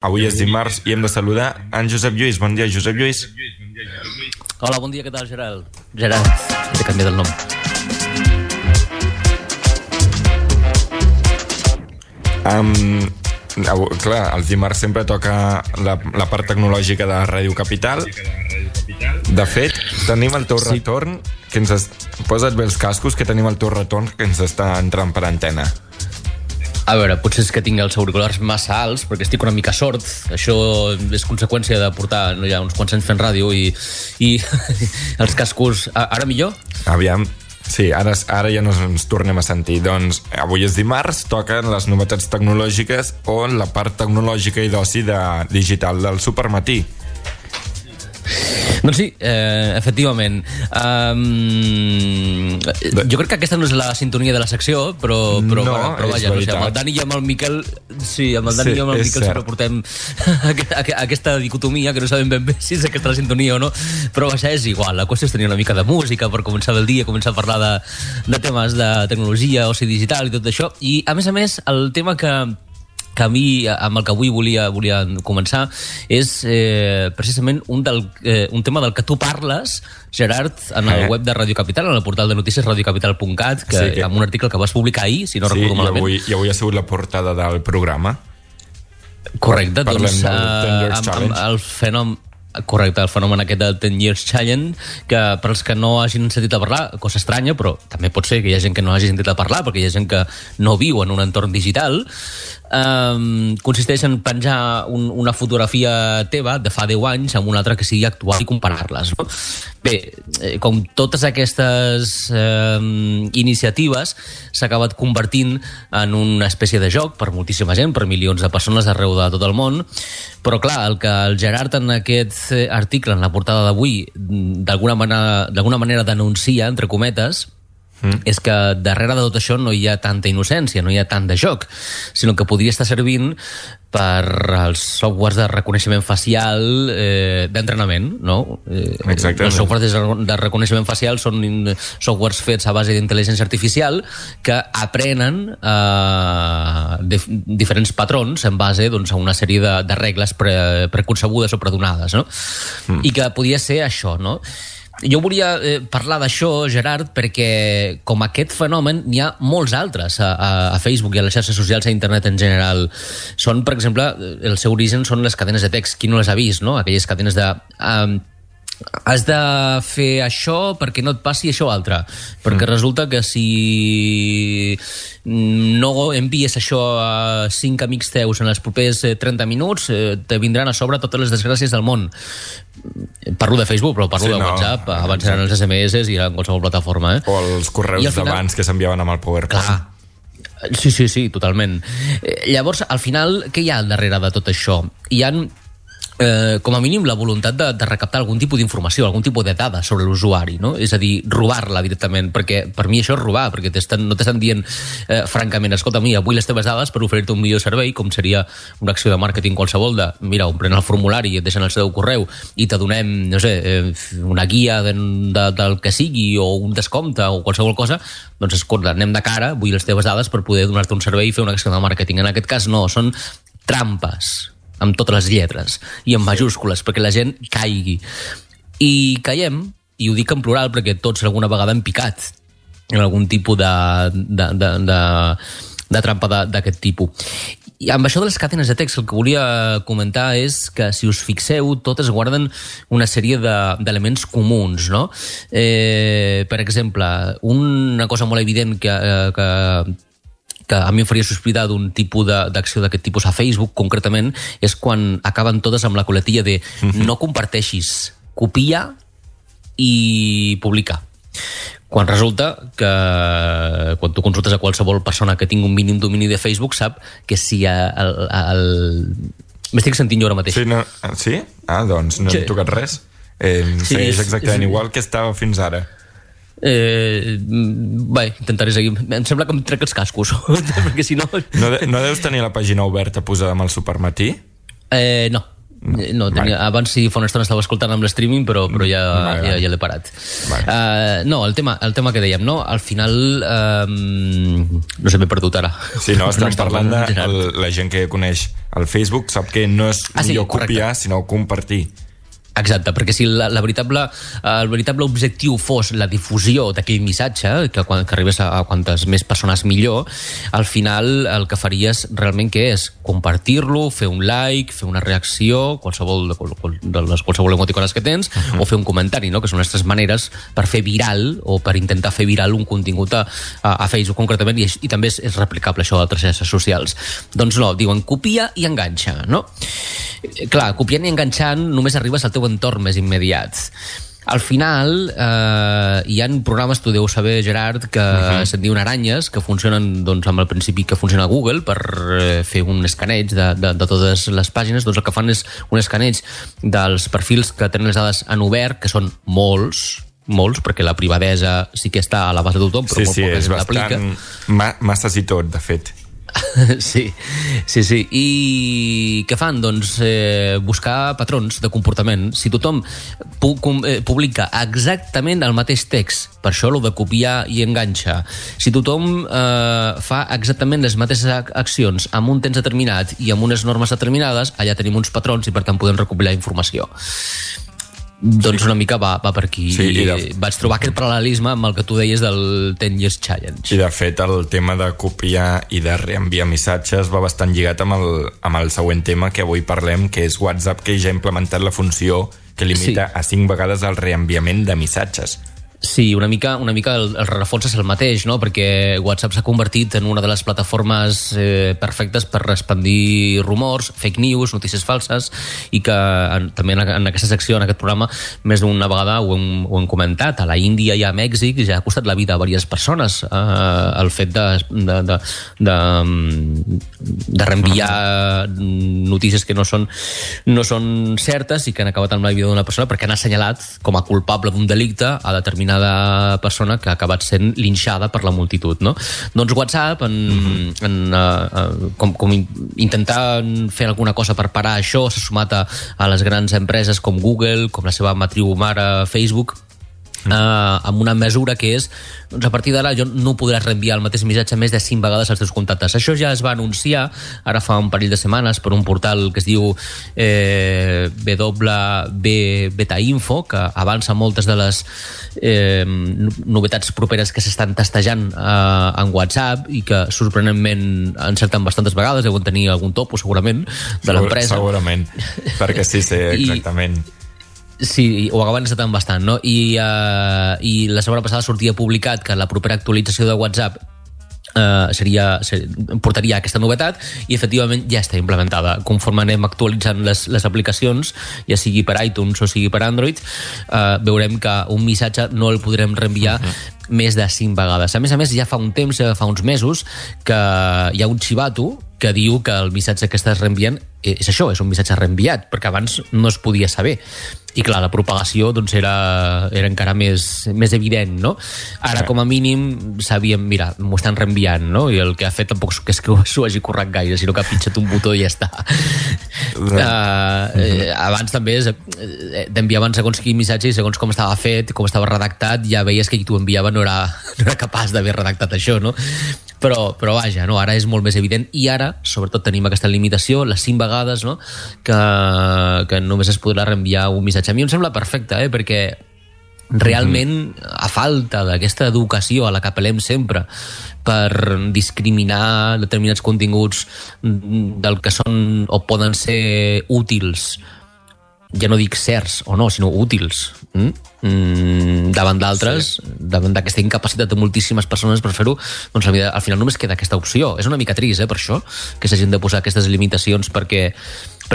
Avui és dimarts i hem de saludar en Josep Lluís. Bon dia, Josep Lluís. Hola, bon dia, què tal, Gerard? Gerard, he canviat el nom. Clar, els dimarts sempre toca la part tecnològica de Ràdio Capital. De fet, tenim el teu retorn, que posa't bé els cascos, que tenim el teu retorn que ens està entrant per antena. A veure, potser és que tinc els auriculars massa alts, perquè estic una mica sord. Això és conseqüència de portar ja uns quants anys fent ràdio i els cascos... Ara millor? Aviam. Sí, ara ja no ens tornem a sentir. Doncs avui és dimarts, toquen les novetats tecnològiques o la part tecnològica i d'oci digital del Supermatí. Doncs sí, efectivament. Jo crec que aquesta no és la sintonia de la secció, però vaja, no sé, amb el Dani i amb el Miquel, sí, amb el Dani i amb el Miquel sempre portem aquesta dicotomia, que no sabem ben bé si és aquesta la sintonia o no, però vaja, és igual. La qüestió és tenir una mica de música per començar el dia, començar a parlar de temes de tecnologia, oci digital i tot això. I, a més, el tema que a mi, amb el que avui volia començar, és precisament un tema del que tu parles, Gerard, en el web de Ràdio Capital, en el portal de notícies radiocapital.cat, amb un article que vas publicar ahir, si no recordo malament. I avui ha sigut la portada del programa. Correcte, doncs amb el fenomen... Correcte, el fenomen aquest del 10 Years Challenge, que per als que no hagin sentit a parlar, cosa estranya, però també pot ser que hi ha gent que no hagi sentit a parlar, perquè hi ha gent que no viu en un entorn digital, consisteix en penjar una fotografia teva de fa 10 anys amb una altra que sigui actual i comparar-les, no? Bé, com totes aquestes iniciatives, s'ha acabat convertint en una espècie de joc per moltíssima gent, per milions de persones arreu de tot el món, però clar, el que el Gerard en aquest article, en la portada d'avui, d'alguna manera denuncia, entre cometes, és que darrere de tot això no hi ha tanta innocència, no hi ha tant de joc, sinó que podria estar servint per als softwares de reconeixement facial d'entrenament, no? Exactament. Els softwares de reconeixement facial són softwares fets a base d'intel·ligència artificial que aprenen diferents patrons en base a una sèrie de regles preconcebudes o predonades, no? I que podia ser això, no? Jo volia parlar d'això, Gerard, perquè com aquest fenomen n'hi ha molts altres a Facebook i a les xarxes socials, a internet en general. Són, per exemple, el seu origen són les cadenes de text. Qui no les ha vist, no? Aquelles cadenes de... has de fer això perquè no et passi això altre, perquè resulta que si no envies això a 5 amics teus en els propers 30 minuts te vindran a sobre totes les desgràcies del món. Parlo de Facebook, però parlo de WhatsApp, abans eren els SMS i en qualsevol plataforma, o els correus d'abans que s'enviaven amb el PowerPoint. Clar. Sí, totalment. Llavors, al final, què hi ha al darrere de tot això? Hi ha com a mínim la voluntat de recaptar algun tipus d'informació, algun tipus de dada sobre l'usuari, no? És a dir, robar-la directament, perquè per mi això és robar, perquè no t'estan dient francament, escolta, mira, vull les teves dades per oferir-te un millor servei, com seria una acció de màrqueting qualsevol de, mira, omplent el formulari i et deixen el seu correu i te donem, no sé, una guia del que sigui o un descompte o qualsevol cosa, doncs escolta, anem de cara, vull les teves dades per poder donar-te un servei i fer una acció de màrqueting. En aquest cas no, són trampes amb totes les lletres i en majúscules, perquè la gent caigui. I caiem, i ho dic en plural perquè tots alguna vegada hem picat en algun tipus de trampa d'aquest tipus. I amb això de les cadenes de text el que volia comentar és que, si us fixeu, totes guarden una sèrie d'elements comuns, no? Per exemple, una cosa molt evident que a mi em faria sospitar d'un tipus d'acció d'aquest tipus a Facebook, concretament, és quan acaben totes amb la coletilla de no comparteixis, copia i publica. Quan resulta que quan tu consultes a qualsevol persona que tingui un mínim domini de Facebook sap que si m'estic sentint jo ara mateix. Sí? Doncs no hem tocat res. Segueix exactament igual que estava fins ara. Bé, intentaré seguir. Em sembla que em trec els cascos perquè si no... No deus tenir la pàgina oberta posada amb el Supermatí? No. No, abans sí, fa una estona estava escoltant amb l'streaming, però ja l'he parat. No, el tema que dèiem, no? Al final no sé, m'he perdut ara. Sí, no, estem parlant de la gent que coneix el Facebook, sap que no és millor copiar, sinó compartir. Exacte, perquè si el veritable objectiu fos la difusió d'aquell missatge, que arribés a quantes més persones millor, al final el que faries realment què és? Compartir-lo, fer un like, fer una reacció, qualsevol emoticones que tens, o fer un comentari, no? Que són les tres maneres per fer viral o per intentar fer viral un contingut a Facebook concretament, i també és replicable això a altres xarxes socials. Doncs no, diuen copia i enganxa, no? Clar, copiant i enganxant només arribes al teu entorn més immediat. Al final hi ha programes, tu deus saber, Gerard, que se'n diuen aranyes, que funcionen amb el principi que funciona a Google per fer un escaneig de totes les pàgines. Doncs el que fan és un escaneig dels perfils que tenen les dades en obert, que són molts, perquè la privadesa sí que està a la base de tothom, però molt poca gent l'aplica. Sí, és bastant masses i tot, de fet. Sí. I què fan? Doncs buscar patrons de comportament. Si tothom publica exactament el mateix text, per això lo de copiar i enganxa, si tothom fa exactament les mateixes accions amb un temps determinat i amb unes normes determinades, allà tenim uns patrons i per tant podem recopilar informació. Doncs una mica va per aquí. Sí, vaig trobar aquest paral·lelisme amb el que tu deies del 10 Years Challenge. I de fet el tema de copiar i de reenviar missatges va bastant lligat amb el següent tema que avui parlem, que és WhatsApp, que ja ha implementat la funció que limita a 5 vegades el reenviament de missatges. Sí, una mica el rerefons és el mateix, no? Perquè WhatsApp s'ha convertit en una de les plataformes perfectes per expandir rumors, fake news, notícies falses, i que també en aquesta secció, en aquest programa, més d'una vegada ho hem comentat. A la Índia i a Mèxic ja ha costat la vida a diverses persones el fet de reenviar notícies que no són certes i que han acabat amb la vida d'una persona perquè han assenyalat com a culpable d'un delicte a determinada persona que ha acabat sent linxada per la multitud, no? Doncs WhatsApp, com intentant fer alguna cosa per parar això, s'ha sumat a les grans empreses com Google, com la seva matriu mare Facebook, amb una mesura que és, doncs a partir d'ara jo no podràs reenviar el mateix missatge més de 5 vegades als teus contactes. Això ja es va anunciar ara fa un parell de setmanes per un portal que es diu Beta-Info, que avança moltes de les novetats properes que s'estan testejant en WhatsApp i que sorprenentment encerten bastantes vegades. Deuen tenir algun topo segurament de l'empresa. Segurament, perquè sí, exactament. Sí, ho acaben encetant bastant, no? I la setmana passada sortia publicat que la propera actualització de WhatsApp portaria aquesta novetat i efectivament ja està implementada. Conforme anem actualitzant les aplicacions, ja sigui per iTunes o sigui per Android, veurem que un missatge no el podrem reenviar més de 5 vegades. A més, ja fa un temps, fa uns mesos, que hi ha un xivato que diu que el missatge que estàs reenviant és això, és un missatge reenviat, perquè abans no es podia saber. I clar, la propagació doncs, era encara més evident, no? Ara, com a mínim, sabíem, mira, m'ho estan reenviant, no? I el que ha fet tampoc és que s'ho hagi currat gaire, sinó que ha pitjat un botó i ja està. Abans també t'enviaven segons quin missatge i segons com estava fet, com estava redactat, ja veies que qui t'ho enviava no era capaç d'haver redactat això, no? Però vaja, no? Ara és molt més evident i ara, sobretot, tenim aquesta limitació, les 5 vegades, no? Que només es podrà reenviar un missatge. A mi em sembla perfecte, perquè realment, a falta d'aquesta educació a la que apel·lem sempre per discriminar determinats continguts del que són o poden ser útils, ja no dic certs o no, sinó útils, davant d'altres, davant d'aquesta incapacitat de moltíssimes persones per fer-ho, doncs al final només queda aquesta opció. És una mica trist, per això, que s'hagin de posar aquestes limitacions perquè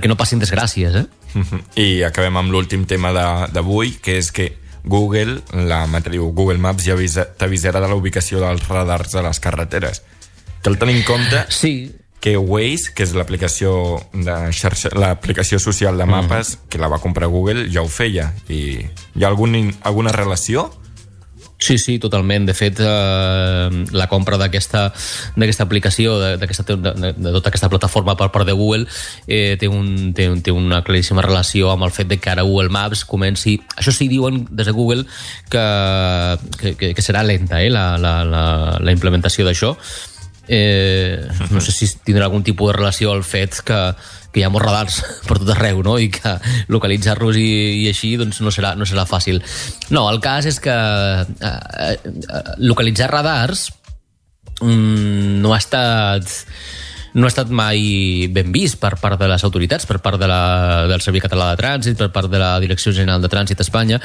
no passin desgràcies, I acabem amb l'últim tema d'avui, que és que Google, la matriu Google Maps, ja t'avisarà de la ubicació dels radars a les carreteres. Cal tenir en compte que Waze, que és l'aplicació social de mapes, que la va comprar Google, ja ho feia. I hi ha alguna relació? Sí, sí, totalment. De fet, la compra d'aquesta aplicació, de tota aquesta plataforma per part de Google, té una claríssima relació amb el fet de que ara Google Maps comenci... Això sí, diuen des de Google que serà lenta, la implementació d'això. No sé si tindrà algun tipus de relació al fet que hi ha molts radars per tot arreu, no? I que localitzar-los i així doncs no serà fàcil. No, el cas és que localitzar radars no ha estat mai ben vist per part de les autoritats, per part del Servei Català de Trànsit, per part de la Direcció General de Trànsit a Espanya.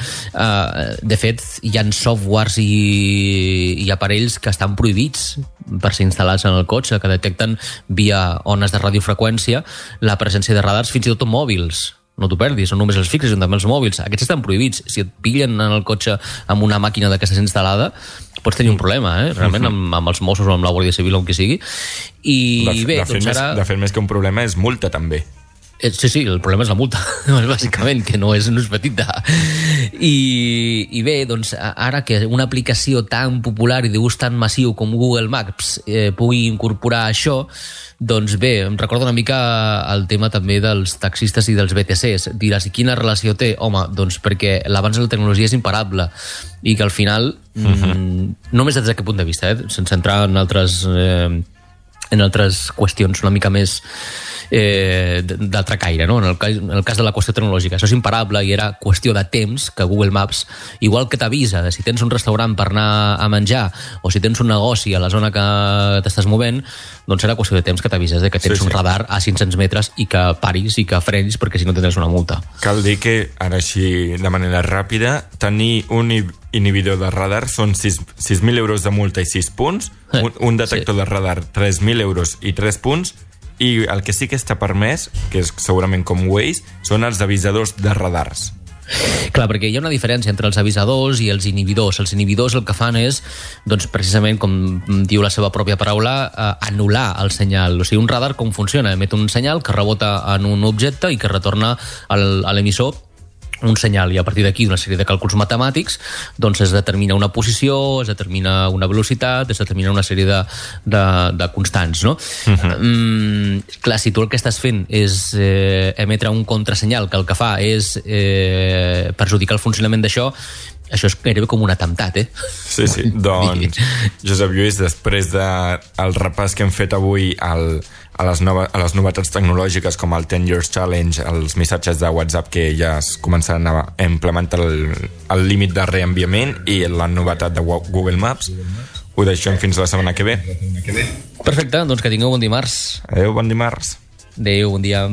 De fet, hi ha softwares i aparells que estan prohibits per ser instal·lats en el cotxe, que detecten via ones de radiofreqüència la presència de radars, fins i tot en mòbils. No t'ho perdis, no només els fixes, sinó també els mòbils. Aquests estan prohibits. Si et pillen en el cotxe amb una màquina d'aquestes instal·lada, pots tenir un problema, realment, amb els Mossos o amb la Guàrdia Civil o amb qui sigui. De fet, més que un problema és multa, també. Sí, el problema és la multa, bàsicament, que no és petita. I bé, doncs, ara que una aplicació tan popular i d'ús tan massiu com Google Maps pugui incorporar això, doncs bé, em recorda una mica el tema també dels taxistes i dels BTCs. Diràs, i quina relació té? Home, doncs perquè l'avanç de la tecnologia és imparable i que al final, només des d'aquest punt de vista, sense entrar en altres qüestions una mica més d'altre caire, no? En el cas de la qüestió tecnològica, això és imparable i era qüestió de temps que Google Maps, igual que t'avisa de si tens un restaurant per anar a menjar o si tens un negoci a la zona que t'estàs movent, doncs era qüestió de temps que t'avises de que tens un radar a 500 metres i que paris i que frenis, perquè si no tindràs una multa. Cal dir que, ara així de manera ràpida, tenir un inhibidor de radar són 6.000 euros de multa i 6 punts, un detector de radar 3.000 euros i 3 punts, i el que sí que està permès, que és segurament com Waze, són els avisadors de radars. Clar, perquè hi ha una diferència entre els avisadors i els inhibidors. Els inhibidors el que fan és, doncs, precisament, com diu la seva pròpia paraula, anul·lar el senyal. O sigui, un radar com funciona? Emet un senyal que rebota en un objecte i que retorna a l'emissor un senyal, i a partir d'aquí una sèrie de càlculs matemàtics doncs es determina una posició, es determina una velocitat, es determina una sèrie de constants, no? Clar, si tu el que estàs fent és emetre un contrasenyal que el que fa és perjudicar el funcionament d'això, això és gairebé com un atemptat, Sí, doncs, Josep Lluís, després del repàs que hem fet avui a les novetats tecnològiques com el 10 Years Challenge, els missatges de WhatsApp que ja es començaran a implementar el límit de reenviament i la novetat de Google Maps, ho deixem fins la setmana que ve. Perfecte, doncs que tingueu bon dimarts. Adéu, bon dimarts. Adéu, bon dia.